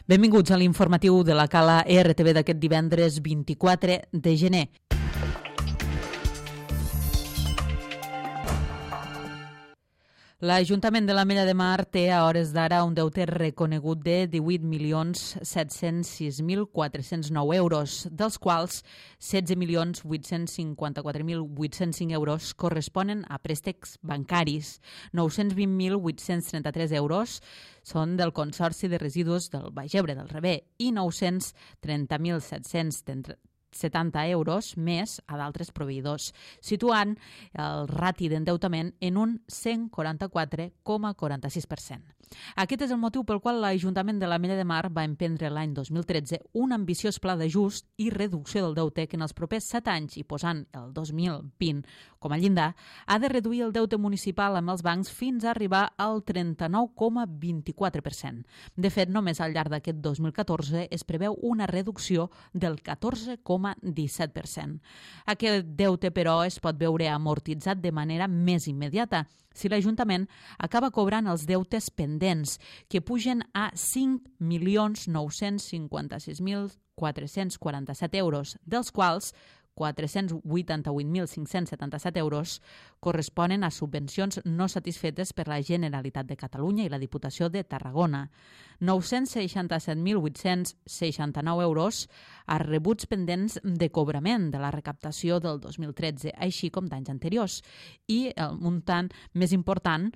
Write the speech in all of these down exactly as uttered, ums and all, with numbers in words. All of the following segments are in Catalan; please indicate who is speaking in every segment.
Speaker 1: Benvinguts a l'informatiu de la Cala R T V d'aquest divendres vint-i-quatre de gener. L'Ajuntament de l'Ametlla de Mar té a hores d'ara un deute reconegut de divuit milions set-cents sis mil quatre-cents nou euros, dels quals setze milions vuit-cents cinquanta-quatre mil vuit-cents cinc euros corresponen a préstecs bancaris, nou-cents vint mil vuit-cents trenta-tres euros són del Consorci de Residus del Baix Ebre del Ribé i nou-cents trenta mil set-cents setanta euros més a d'altres proveïdors, situant el rati d'endeutament en un cent quaranta-quatre coma quaranta-sis per cent. Aquest és el motiu pel qual l'Ajuntament de l'Ametlla de Mar va emprendre l'any dos mil tretze un ambiciós pla d'ajust i reducció del deute que en els propers set anys, i posant el dos mil vint com a llindar, ha de reduir el deute municipal amb els bancs fins a arribar al trenta-nou coma vint-i-quatre per cent. De fet, només al llarg d'aquest dos mil catorze es preveu una reducció del catorze coma disset per cent. Aquest deute, però, es pot veure amortitzat de manera més immediata si l'Ajuntament acaba cobrant els deutes pendents, que pugen a cinc milions nou-cents cinquanta-sis mil quatre-cents quaranta-set euros, dels quals quatre-cents vuitanta-vuit mil cinc-cents setanta-set euros corresponen a subvencions no satisfetes per la Generalitat de Catalunya i la Diputació de Tarragona, nou-cents seixanta-set mil vuit-cents seixanta-nou euros a rebuts pendents de cobrament de la recaptació del dos mil tretze, així com d'anys anteriors, i el muntant més important,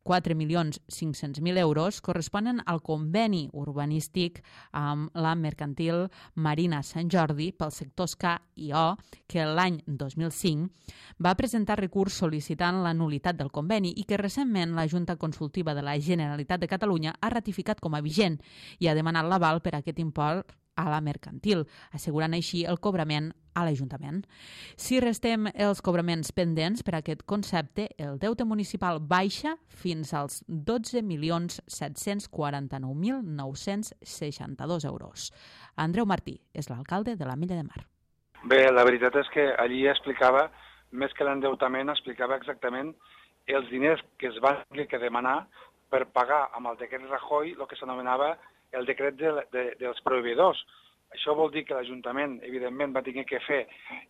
Speaker 1: quatre milions cinc-cents mil euros, corresponen al conveni urbanístic amb la mercantil Marina Sant Jordi pels sectors K i O, que l'any dos mil cinc va presentar recurs sol·licitant la nul·litat del conveni i que recentment la Junta Consultiva de la Generalitat de Catalunya ha ratificat com a vigent i ha demanat l'aval per a aquest import a la mercantil, assegurant així el cobrament a l'Ajuntament. Si restem els cobraments pendents per a aquest concepte, el deute municipal baixa fins als dotze milions set-cents quaranta-nou mil nou-cents seixanta-dos euros. Andreu Martí és l'alcalde de l'Ametlla de Mar.
Speaker 2: Bé, la veritat és que allí explicava, més que l'endeutament, explicava exactament els diners que es van haver de demanar per pagar amb el decret Rajoy el que s'anomenava el decret de, de, dels proveïdors. Això vol dir que l'Ajuntament, evidentment, va tenir que fer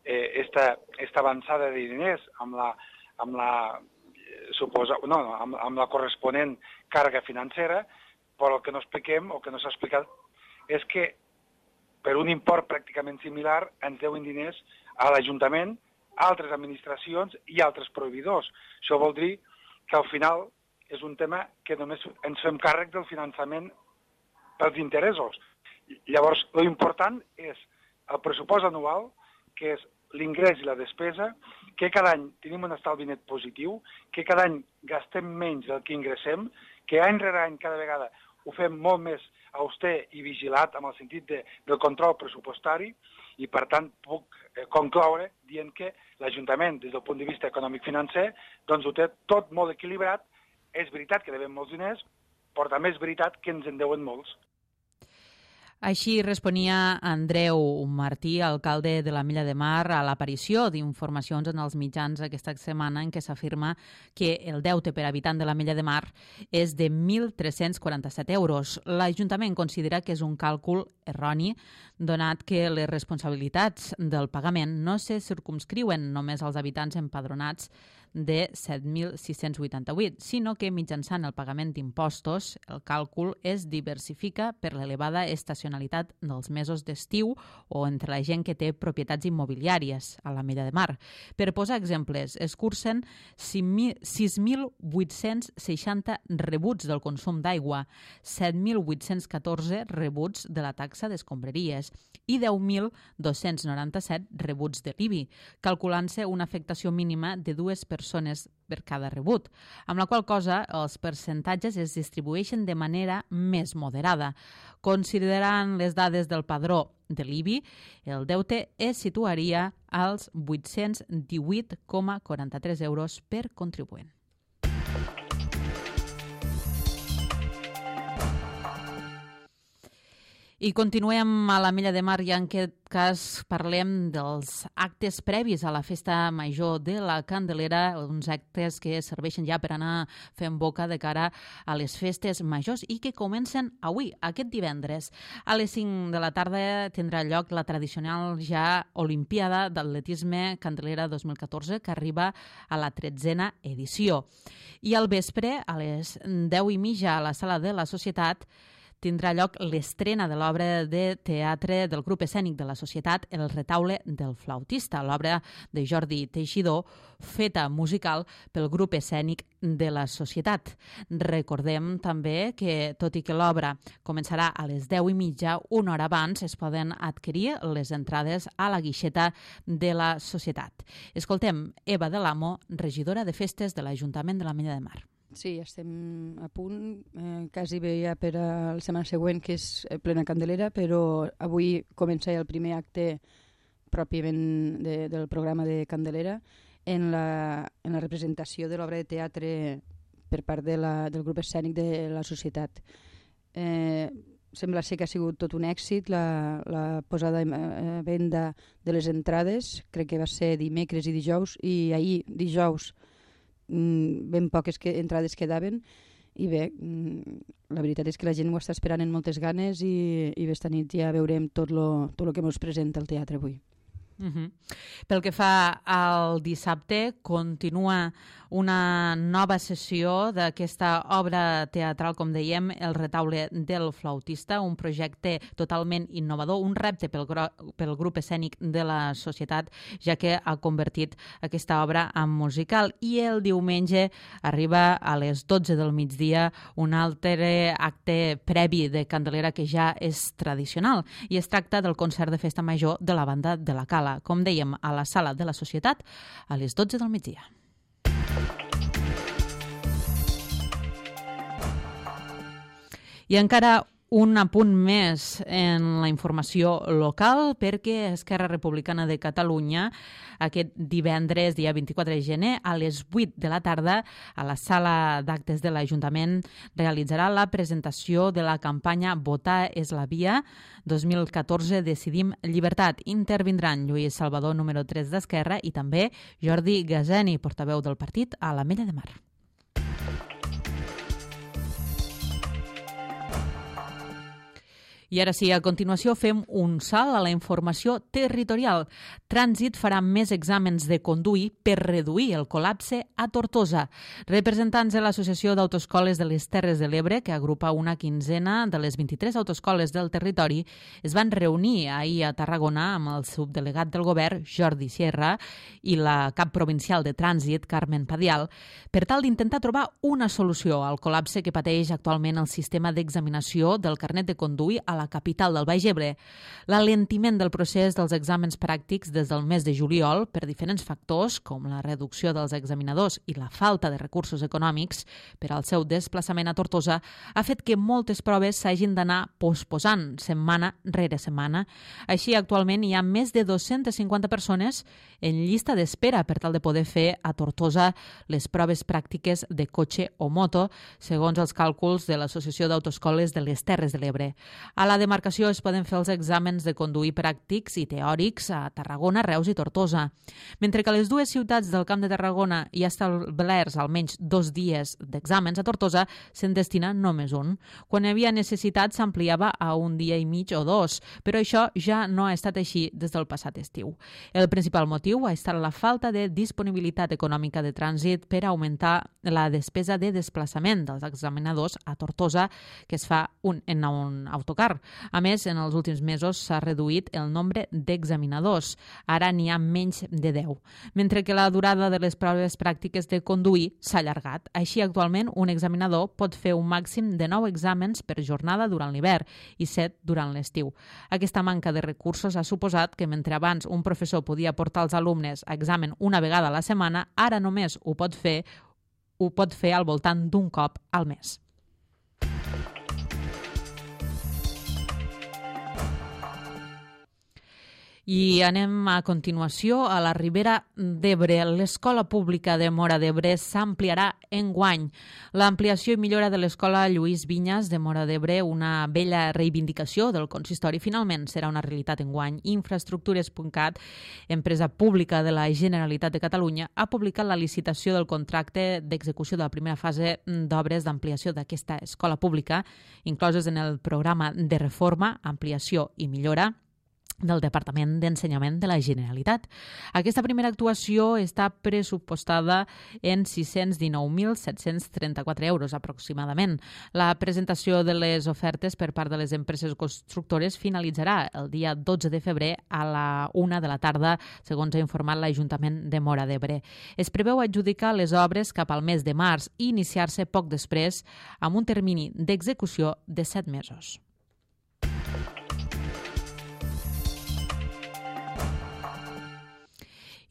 Speaker 2: eh, esta, esta avançada de diners amb la, amb la, suposa, no, amb, amb la corresponent càrrega financera, però el que no expliquem, o que no s'ha explicat, és que per un import pràcticament similar ens deuen diners a l'Ajuntament, a altres administracions i altres proveïdors. Això vol dir que al final és un tema que només ens fem càrrec del finançament pels interessos. Llavors, l'important és el pressupost anual, que és l'ingrés i la despesa, que cada any tenim un estalvi net positiu, que cada any gastem menys del que ingressem, que any rere any cada vegada ho fem molt més auster i vigilat amb el sentit de, del control pressupostari i, per tant, puc eh, concloure dient que l'Ajuntament, des del punt de vista econòmic-financer, doncs ho té tot molt equilibrat. És veritat que devem molts diners, però també és veritat que ens en deuen molts.
Speaker 1: Així responia Andreu Martí, alcalde de l'Ametlla de Mar, a l'aparició d'informacions en els mitjans aquesta setmana en què s'afirma que el deute per habitant de l'Ametlla de Mar és de mil tres-cents quaranta-set euros. L'Ajuntament considera que és un càlcul erroni, donat que les responsabilitats del pagament no se circumscriuen només als habitants empadronats de set mil sis-cents vuitanta-vuit, sinó que mitjançant el pagament d'impostos el càlcul es diversifica per l'elevada estacionalitat dels mesos d'estiu o entre la gent que té propietats immobiliàries a l'Ametlla de Mar. Per posar exemples, es cursen sis mil vuit-cents seixanta rebuts del consum d'aigua, set mil vuit-cents catorze rebuts de la taxa d'escombraries i deu mil dos-cents noranta-set rebuts de l'I B I, calculant-se una afectació mínima de dues persones per cada rebut, amb la qual cosa els percentatges es distribueixen de manera més moderada. Considerant les dades del padró de l'I B I, el deute es situaria als vuit-cents divuit coma quaranta-tres euros per contribuent. I continuem a l'Ametlla de Mar i en aquest cas parlem dels actes previs a la festa major de la Candelera, uns actes que serveixen ja per anar fent boca de cara a les festes majors i que comencen avui, aquest divendres. A les cinc de la tarda tindrà lloc la tradicional ja Olimpiada d'Atletisme Candelera dos mil catorze, que arriba a la tretzena edició. I al vespre, a les deu i mitja, a la Sala de la Societat, tindrà lloc l'estrena de l'obra de teatre del grup escènic de la Societat, El retaule del flautista, l'obra de Jordi Teixidor, feta musical pel grup escènic de la Societat. Recordem també que, tot i que l'obra començarà a les deu i mitja, una hora abans es poden adquirir les entrades a la guixeta de la Societat. Escoltem Eva de l'Amo, regidora de festes de l'Ajuntament de l'Ametlla de Mar.
Speaker 3: Sí, estem a punt, eh, quasi bé ja per a la setmana següent, que és plena Candelera, però avui comença el primer acte pròpiament de, del programa de Candelera en la, en la representació de l'obra de teatre per part de la, del grup escènic de la Societat. Eh, sembla ser que ha sigut tot un èxit la, la posada a venda de les entrades, crec que va ser dimecres i dijous, i ahir, dijous, ben poques que, entrades quedaven i bé, la veritat és que la gent ho està esperant amb moltes ganes i, i esta nit ja veurem tot lo, tot lo que ens presenta el teatre avui.
Speaker 1: Uh-huh. Pel que fa al dissabte, continua una nova sessió d'aquesta obra teatral, com dèiem, El retaule del flautista, un projecte totalment innovador, un repte pel, pel grup escènic de la Societat, ja que ha convertit aquesta obra en musical. I el diumenge arriba a les dotze del migdia un altre acte previ de Candelera que ja és tradicional, i es tracta del concert de festa major de la banda de la Cala, com dèiem, a la Sala de la Societat a les dotze del migdia. I encara un apunt més en la informació local, perquè Esquerra Republicana de Catalunya aquest divendres, dia vint-i-quatre de gener, a les vuit de la tarda, a la sala d'actes de l'Ajuntament, realitzarà la presentació de la campanya Votar és la via dos mil catorze Decidim Llibertat. Intervindran Lluís Salvador, número tres d'Esquerra, i també Jordi Gazeni, portaveu del partit a l'Ametlla de Mar. I ara sí, a continuació fem un salt a la informació territorial. Trànsit farà més exàmens de conduir per reduir el col·lapse a Tortosa. Representants de l'Associació d'Autoescoles de les Terres de l'Ebre, que agrupa una quinzena de les vint-i-tres autoescoles del territori, es van reunir ahir a Tarragona amb el subdelegat del govern, Jordi Sierra, i la cap provincial de trànsit, Carmen Padial, per tal d'intentar trobar una solució al col·lapse que pateix actualment el sistema d'examinació del carnet de conduir a la capital del Baix Ebre. L'alentiment del procés dels exàmens pràctics des del mes de juliol, per diferents factors, com la reducció dels examinadors i la falta de recursos econòmics per al seu desplaçament a Tortosa, ha fet que moltes proves s'hagin d'anar posposant setmana rere setmana. Així, actualment hi ha més de dues-centes cinquanta persones en llista d'espera per tal de poder fer a Tortosa les proves pràctiques de cotxe o moto, segons els càlculs de l'Associació d'Autoescoles de les Terres de l'Ebre. A la demarcació es poden fer els exàmens de conduir pràctics i teòrics a Tarragona, Reus i Tortosa. Mentre que a les dues ciutats del Camp de Tarragona hi ha establerts almenys dos dies d'exàmens, a Tortosa se'n destina només un. Quan hi havia necessitat s'ampliava a un dia i mig o dos, però això ja no ha estat així des del passat estiu. El principal motiu ha estat la falta de disponibilitat econòmica de trànsit per augmentar la despesa de desplaçament dels examinadors a Tortosa, que es fa un, en un autocar. A més, en els últims mesos s'ha reduït el nombre d'examinadors. Ara n'hi ha menys de deu. Mentre que la durada de les proves pràctiques de conduir s'ha allargat. Així, actualment, un examinador pot fer un màxim de nou exàmens per jornada durant l'hivern i set durant l'estiu. Aquesta manca de recursos ha suposat que mentre abans un professor podia portar els alumnes a examen una vegada a la setmana, ara només ho pot fer, ho pot fer al voltant d'un cop al mes. I anem a continuació a la Ribera d'Ebre. L'Escola Pública de Móra d'Ebre s'ampliarà enguany. L'ampliació i millora de l'Escola Lluís Vinyes de Móra d'Ebre, una vella reivindicació del consistori, finalment serà una realitat enguany. Infraestructures punt cat, empresa pública de la Generalitat de Catalunya, ha publicat la licitació del contracte d'execució de la primera fase d'obres d'ampliació d'aquesta escola pública, incloses en el programa de reforma, ampliació i millora del Departament d'Ensenyament de la Generalitat. Aquesta primera actuació està pressupostada en sis-cents dinou mil set-cents trenta-quatre euros aproximadament. La presentació de les ofertes per part de les empreses constructores finalitzarà el dia dotze de febrer a la una de la tarda, segons ha informat l'Ajuntament de Móra d'Ebre. Es preveu adjudicar les obres cap al mes de març i iniciar-se poc després amb un termini d'execució de set mesos.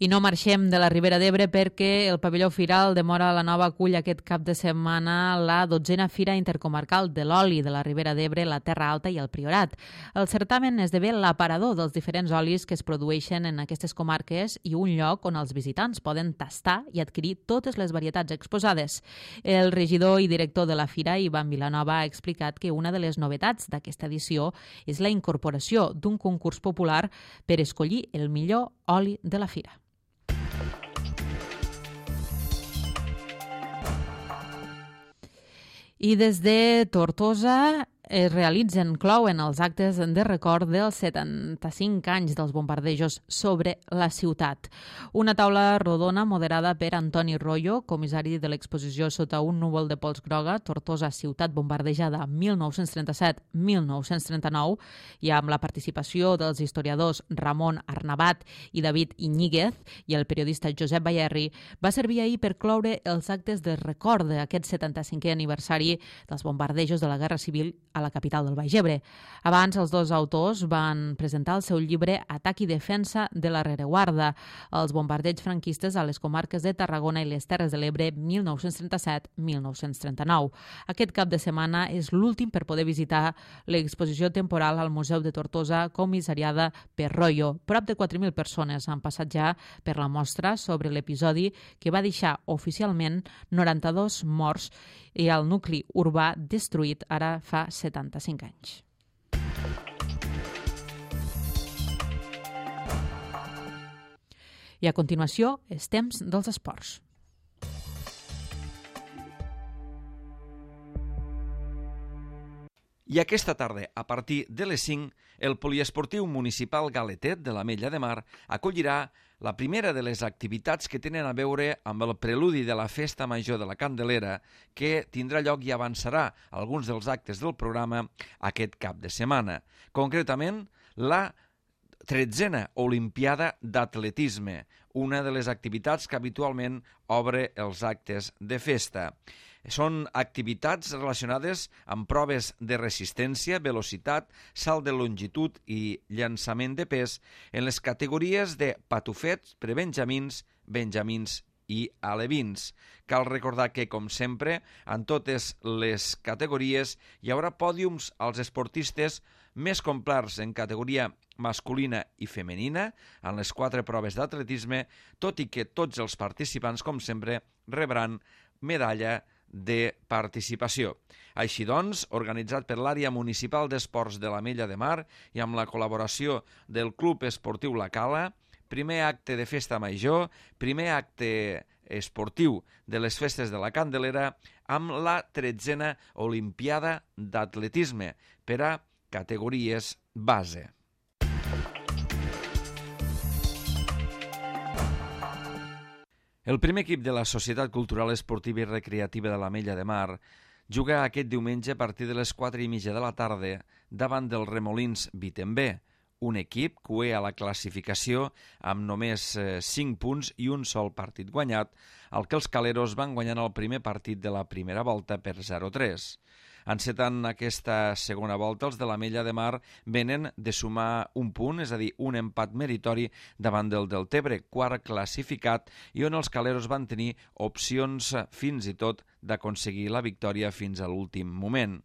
Speaker 1: I no marxem de la Ribera d'Ebre perquè el pavelló Firal de Móra la Nova acull aquest cap de setmana la dotzena Fira Intercomarcal de l'Oli de la Ribera d'Ebre, la Terra Alta i el Priorat. El certamen esdevé l'aparador dels diferents olis que es produeixen en aquestes comarques i un lloc on els visitants poden tastar i adquirir totes les varietats exposades. El regidor i director de la Fira, Ivan Vilanova, ha explicat que una de les novetats d'aquesta edició és la incorporació d'un concurs popular per escollir el millor oli de la Fira. I des de Tortosa es realitzen, clouen els actes de record dels setanta-cinc anys dels bombardejos sobre la ciutat. Una taula rodona moderada per Antoni Royo, comissari de l'exposició Sota un núvol de pols groga, Tortosa, ciutat bombardejada mil nou-cents trenta-set a mil nou-cents trenta-nou, i amb la participació dels historiadors Ramon Arnabat i David Iñiguez i el periodista Josep Bayerri, va servir ahir per cloure els actes de record d'aquest setanta-cinquè aniversari dels bombardejos de la Guerra Civil a la capital del Baix Ebre. Abans, els dos autors van presentar el seu llibre Atac i defensa de la rereguarda, els bombardeigs franquistes a les comarques de Tarragona i les Terres de l'Ebre mil nou-cents trenta-set a mil nou-cents trenta-nou. Aquest cap de setmana és l'últim per poder visitar l'exposició temporal al Museu de Tortosa, comissariada per Royo. Prop de quatre mil persones han passat ja per la mostra sobre l'episodi que va deixar oficialment noranta-dos morts i el nucli urbà destruït ara fa setanta-cinc anys. I a continuació, els temps dels esports.
Speaker 4: I aquesta tarda, a partir de les cinc, el Poliesportiu Municipal Galetet de l'Ametlla de Mar acollirà la primera de les activitats que tenen a veure amb el preludi de la Festa Major de la Candelera, que tindrà lloc i avançarà alguns dels actes del programa aquest cap de setmana. Concretament, la tretzena Olimpiada d'Atletisme, una de les activitats que habitualment obre els actes de festa. Són activitats relacionades amb proves de resistència, velocitat, salt de longitud i llançament de pes en les categories de patufets, prebenjamins, benjamins i alevins. Cal recordar que, com sempre, en totes les categories hi haurà pòdiums als esportistes més complets en categoria masculina i femenina en les quatre proves d'atletisme, tot i que tots els participants, com sempre, rebran medalla de participació. Així doncs, organitzat per l'Àrea Municipal d'Esports de l'Ametlla de Mar i amb la col·laboració del Club Esportiu La Cala, primer acte de festa major, primer acte esportiu de les festes de la Candelera amb la tretzena Olimpiada d'Atletisme per a categories base. El primer equip de la Societat Cultural Esportiva i Recreativa de l'Ametlla de Mar juga aquest diumenge a partir de les quatre i mitja de la tarda davant dels Remolins Vitembé, un equip cué a la classificació amb només cinc punts i un sol partit guanyat, al que els caleros van guanyant el primer partit de la primera volta per zero a tres. Encetant aquesta segona volta, els de l'Ametlla de Mar venen de sumar un punt, és a dir, un empat meritori davant del Deltebre, quart classificat, i on els caleros van tenir opcions fins i tot d'aconseguir la victòria fins a l'últim moment.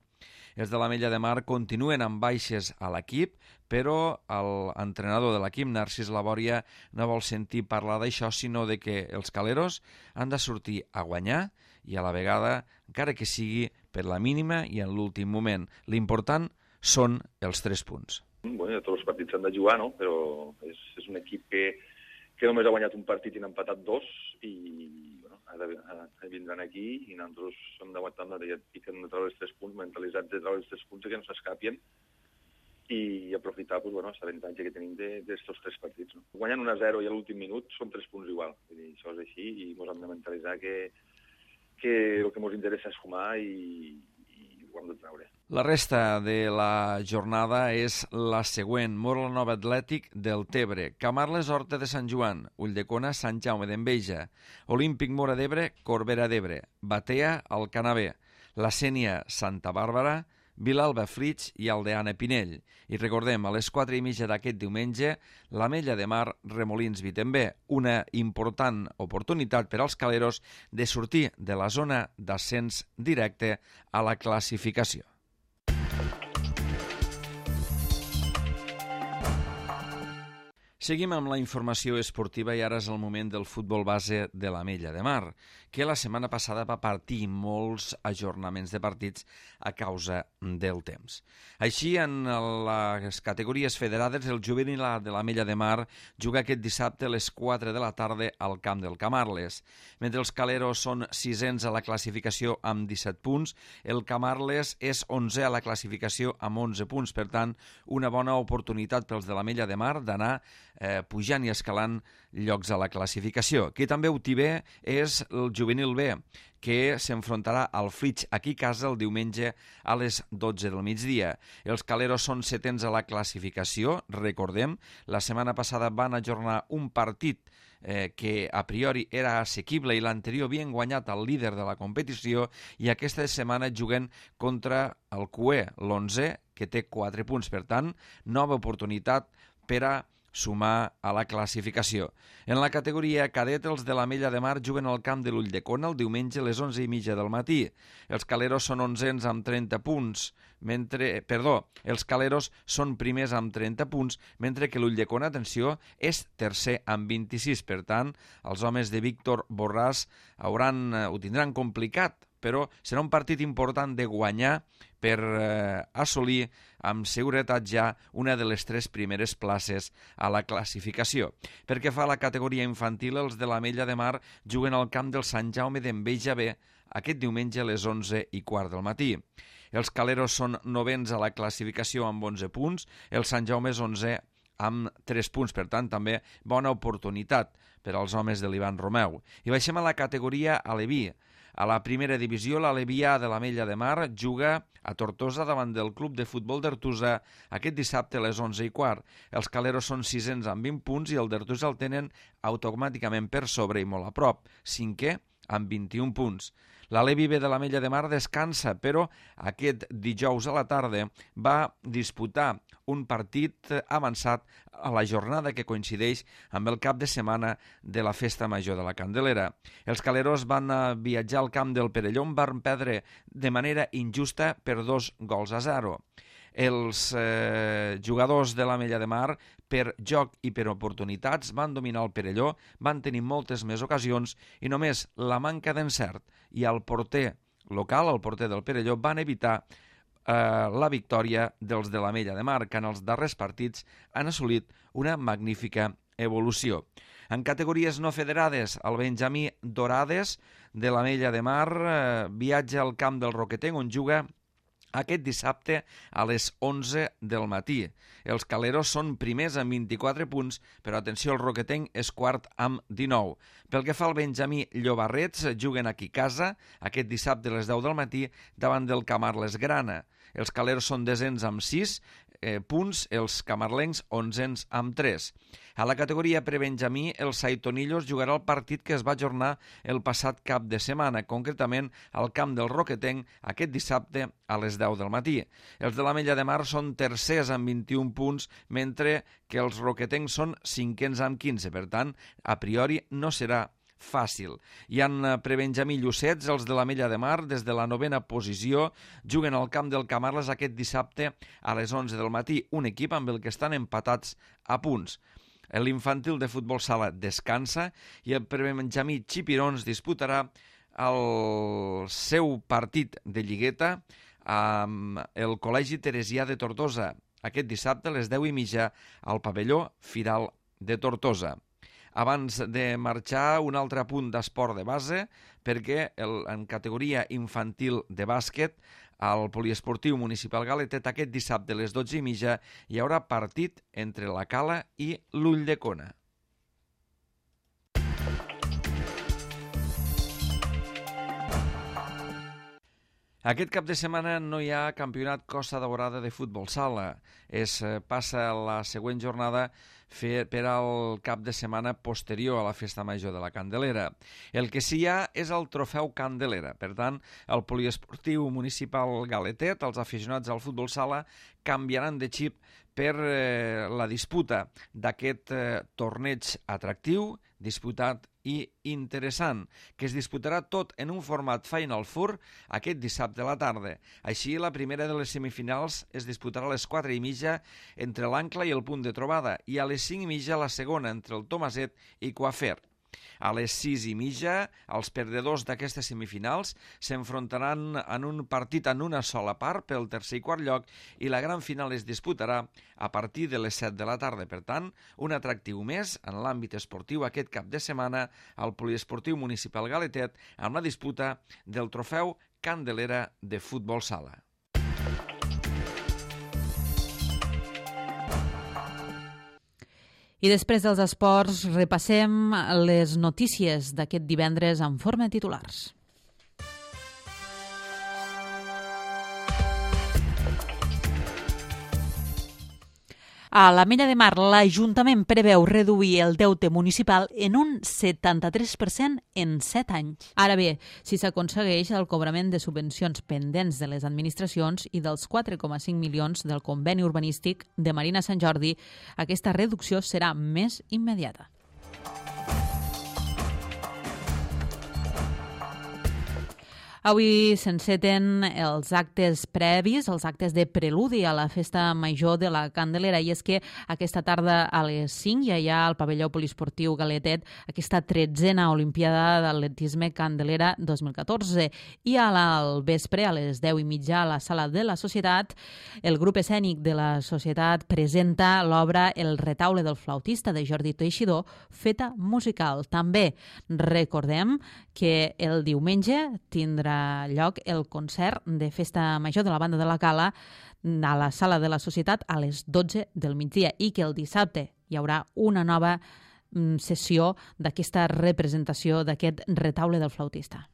Speaker 4: Els de l'Ametlla de Mar continuen amb baixes a l'equip, però l'entrenador de l'equip, Narcís Labòria, no vol sentir parlar d'això, sinó de que els caleros han de sortir a guanyar i a la vegada, encara que sigui per la mínima i en l'últim moment. L'important són els tres punts.
Speaker 5: Bueno, tots els partits s'han de jugar, no? Però és, és un equip que, que només ha guanyat un partit i n'ha empatat dos i bueno, ha de, ha de vindran aquí i nosaltres hem d'aguantar amb la pica de treure els tres punts, mentalitzats de treure els tres punts i que no s'escapien i aprofitar pues, bueno, l'avantatge que tenim d'aquests tres partits. No? Guanyant un a zero i a l'últim minut són tres punts igual. Vull dir, això és així i ens hem de mentalitzar que, que el que ens interessa és sumar i, i ho hem de treure.
Speaker 4: La resta de la jornada és la següent. Móra-la-Nova Atlètic del Tebre, Camarles Horta de Sant Joan, Ulldecona Sant Jaume d'Enveja, Olímpic Móra d'Ebre, Corbera d'Ebre, Batea Alcanavè, La Sénia Santa Bàrbara, Vilalba Flix i Aldeana Pinell. I recordem, a les quatre i mitja d'aquest diumenge, l'Ametlla de Mar Remolins Vitembé, una important oportunitat per als caleros de sortir de la zona d'ascens directe a la classificació. Seguim amb la informació esportiva i ara és el moment del futbol base de l'Ametlla de Mar, que la setmana passada va partir molts ajornaments de partits a causa del temps. Així, en les categories federades, el juvenil A de l'Ametlla de Mar juga aquest dissabte a les quatre de la tarda al camp del Camarles. Mentre els caleros són sisens a la classificació amb disset punts, el Camarles és onzè a la classificació amb onze punts. Per tant, una bona oportunitat pels de l'Ametlla de Mar d'anar Eh, pujant i escalant llocs a la classificació. Qui també ho té bé és el juvenil B, que s'enfrontarà al Flix aquí a casa el diumenge a les dotze del migdia. Els caleros són setens a la classificació, recordem, la setmana passada van ajornar un partit eh, que a priori era assequible i l'anterior havien guanyat el líder de la competició i aquesta setmana juguen contra el Q E, l'onzè, que té quatre punts. Per tant, nova oportunitat per a sumar a la classificació. En la categoria cadet, els de l'Ametlla de Mar juguen al camp de l'Ulldecona el diumenge a les onze i mitja del matí. Els caleros són onzens amb trenta punts, mentre, perdó, els caleros són primers amb trenta punts, mentre que l'Ulldecona, atenció, és tercer amb vint-i-sis. Per tant, els homes de Víctor Borràs hauran, ho tindran complicat, però serà un partit important de guanyar per eh, assolir amb seguretat ja una de les tres primeres places a la classificació. Perquè fa la categoria infantil, els de l'Ametlla de Mar juguen al camp del Sant Jaume d'Enveja B aquest diumenge a les onze i quart del matí. Els caleros són novens a la classificació amb onze punts, el Sant Jaume és onzè amb tres punts, per tant també bona oportunitat per als homes de l'Ivan Romeu. I baixem a la categoria Aleví. A la primera divisió, l'Aleví A de l'Ametlla de Mar juga a Tortosa davant del club de futbol d'Artusa aquest dissabte a les onze i quart. Els caleros són sisens amb vint punts i el d'Artusa el tenen automàticament per sobre i molt a prop, cinquè amb vint-i-un punts. L'Aleví B de l'Ametlla de Mar descansa, però aquest dijous a la tarda va disputar un partit avançat a la jornada que coincideix amb el cap de setmana de la Festa Major de la Candelera. Els caleros van viatjar al camp del Perelló, on van perdre de manera injusta per dos gols a zero. Els eh, jugadors de l'Ametlla de Mar, per joc i per oportunitats, van dominar el Perelló, van tenir moltes més ocasions i només la manca d'encert i el porter local, el porter del Perelló, van evitar eh, la victòria dels de l'Ametlla de Mar, que en els darrers partits han assolit una magnífica evolució. En categories no federades, el Benjamí Dorades de l'Ametlla de Mar eh, viatja al camp del Roquetenc, on juga aquest dissabte a les onze del matí. Els caleros són primers amb vint-i-quatre punts, però atenció, el Roquetenc és quart amb dinou. Pel que fa al Benjamí Llobarrets, juguen aquí a casa aquest dissabte a les deu del matí davant del Camarles Grana. Els caleros són desens amb sis eh, punts, els camarlencs onzens amb tres. A la categoria prebenjamí, el Saitonillos jugarà el partit que es va ajornar el passat cap de setmana, concretament al camp del Roquetenc aquest dissabte a les deu del matí. Els de l'Ametlla de Mar són tercers amb vint-i-un punts, mentre que els roquetencs són cinquens amb quinze. Per tant, a priori no serà fàcil. I en prebenjamí Llucets, els de l'Ametlla de Mar, des de la novena posició, juguen al camp del Camarles aquest dissabte a les onze del matí, un equip amb el que estan empatats a punts. L'infantil de futbol sala descansa i el prebenjamí Xipirons disputarà el seu partit de lligueta amb el Col·legi Teresià de Tortosa aquest dissabte a les deu i mitja al pavelló Firal de Tortosa. Abans de marxar, un altre apunt d'esport de base, perquè el, en categoria infantil de bàsquet, al poliesportiu municipal Galetet, aquest dissabte a les dotze i mitja hi haurà partit entre la Cala i l'Ulldecona. Aquest cap de setmana no hi ha campionat Costa Daurada de futbol sala. Es passa la següent jornada fer per al cap de setmana posterior a la Festa Major de la Candelera. El que sí hi ha és el trofeu Candelera. Per tant, el poliesportiu municipal Galetet, els aficionats al futbol sala, canviaran de xip per eh, la disputa d'aquest eh, torneig atractiu, disputat i interessant, que es disputarà tot en un format Final Four aquest dissabte a la tarda. Així, la primera de les semifinals es disputarà a les quatre i mitja entre l'Ancla i el Punt de Trobada i a les cinc i mitja la segona entre el Tomaset i Coafer. A les sis i mitja, els perdedors d'aquestes semifinals s'enfrontaran en un partit en una sola part pel tercer i quart lloc i la gran final es disputarà a partir de les set de la tarda. Per tant, un atractiu més en l'àmbit esportiu aquest cap de setmana al poliesportiu municipal Galetet amb la disputa del trofeu Candelera de futbol sala.
Speaker 1: I després dels esports repassem les notícies d'aquest divendres en forma de titulars. A l'Ametlla de Mar, l'Ajuntament preveu reduir el deute municipal en un setanta-tres per cent en set anys. Ara bé, si s'aconsegueix el cobrament de subvencions pendents de les administracions i dels quatre coma cinc milions del conveni urbanístic de Marina Sant Jordi, aquesta reducció serà més immediata. Avui s'enceten els actes previs, els actes de preludi a la Festa Major de la Candelera, i és que aquesta tarda a les cinc ja hi ha al pavelló poliesportiu Galetet aquesta tretzena Olimpiada d'Atletisme Candelera dos mil catorze, i al vespre, a les deu i mitja, a la Sala de la Societat, el grup escènic de la Societat presenta l'obra El retaule del flautista de Jordi Teixidor, feta musical. També recordem que el diumenge tindrà lloc el concert de Festa Major de la Banda de la Cala a la Sala de la Societat a les dotze del migdia i que el dissabte hi haurà una nova sessió d'aquesta representació d'aquest retaule del flautista.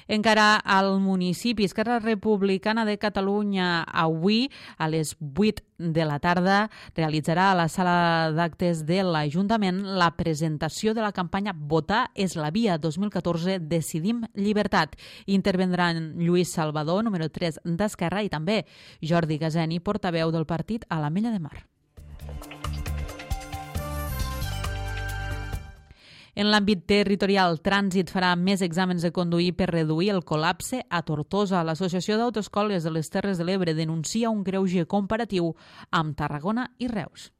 Speaker 1: Encara al municipi, Esquerra Republicana de Catalunya avui a les vuit de la tarda realitzarà a la sala d'actes de l'Ajuntament la presentació de la campanya Votar és la via dos mil catorze, Decidim Llibertat. Intervendran Lluís Salvador, número tres d'Esquerra, i també Jordi Gazeni, portaveu del partit a l'Ametlla de Mar. En l'àmbit territorial, Trànsit farà més exàmens de conduir per reduir el col·lapse a Tortosa. L'Associació d'Autoescoles de les Terres de l'Ebre denuncia un greuge comparatiu amb Tarragona i Reus.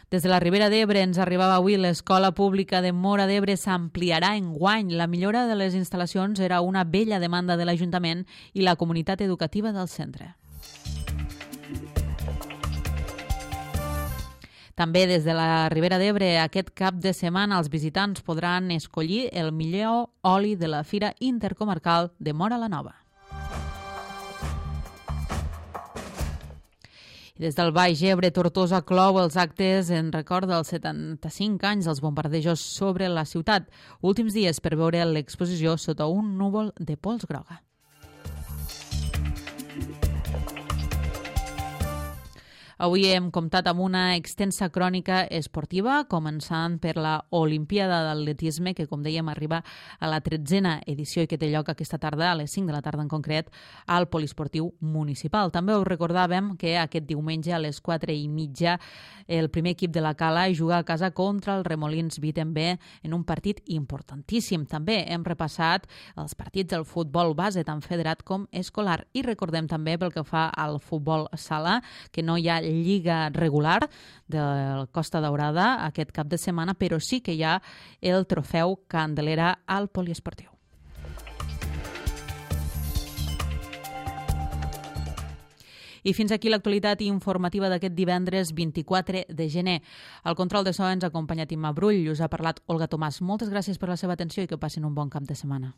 Speaker 1: Des de la Ribera d'Ebre ens arribava avui l'escola pública de Móra d'Ebre s'ampliarà enguany. La millora de les instal·lacions era una vella demanda de l'Ajuntament i la comunitat educativa del centre. També des de la Ribera d'Ebre, aquest cap de setmana els visitants podran escollir el millor oli de la Fira Intercomarcal de Móra la Nova. I des del Baix Ebre, Tortosa clou els actes en record dels setanta-cinc anys dels bombardejos sobre la ciutat. Últims dies per veure l'exposició Sota un núvol de pols groga. Avui hem comptat amb una extensa crònica esportiva, començant per la Olimpiada d'Atletisme, que, com dèiem, arriba a la tretzena edició i que té lloc aquesta tarda, a les cinc de la tarda en concret, al Poliesportiu Municipal. També us recordàvem que aquest diumenge a les quatre i mitja el primer equip de la Cala juga a casa contra el Remolins Vitenbe en un partit importantíssim. També hem repassat els partits del futbol base, tant federat com escolar. I recordem també, pel que fa al futbol sala, que no hi ha lliga regular del Costa Daurada aquest cap de setmana, però sí que hi ha el trofeu Candelera al Poliesportiu. I fins aquí l'actualitat informativa d'aquest divendres vint-i-quatre de gener. Al control de so ens ha acompanyat Imma Brull i us ha parlat Olga Tomàs. Moltes gràcies per la seva atenció i que passin un bon cap de setmana.